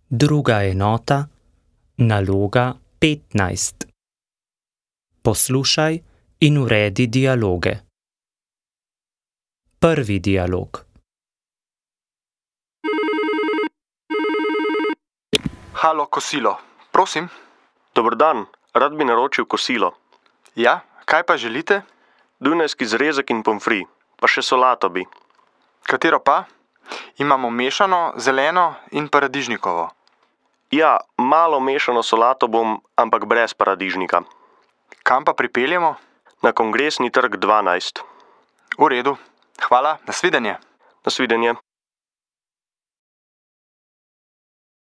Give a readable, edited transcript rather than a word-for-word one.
Druga enota, naloga 15. Poslušaj in uredi dialoge. Prvi dialog. Halo, kosilo. Prosim? Dober dan, rad bi naročil kosilo. Ja, kaj pa želite? Dunajski zrezek in pomfri, pa še solato bi. Katero pa? Imamo mešano, zeleno in paradižnikovo. Ja, malo mešano solato bom, ampak brez paradižnika. Kam pa pripeljemo? Na Kongresni trg 12. V redu. Hvala, nasvidenje. Nasvidenje.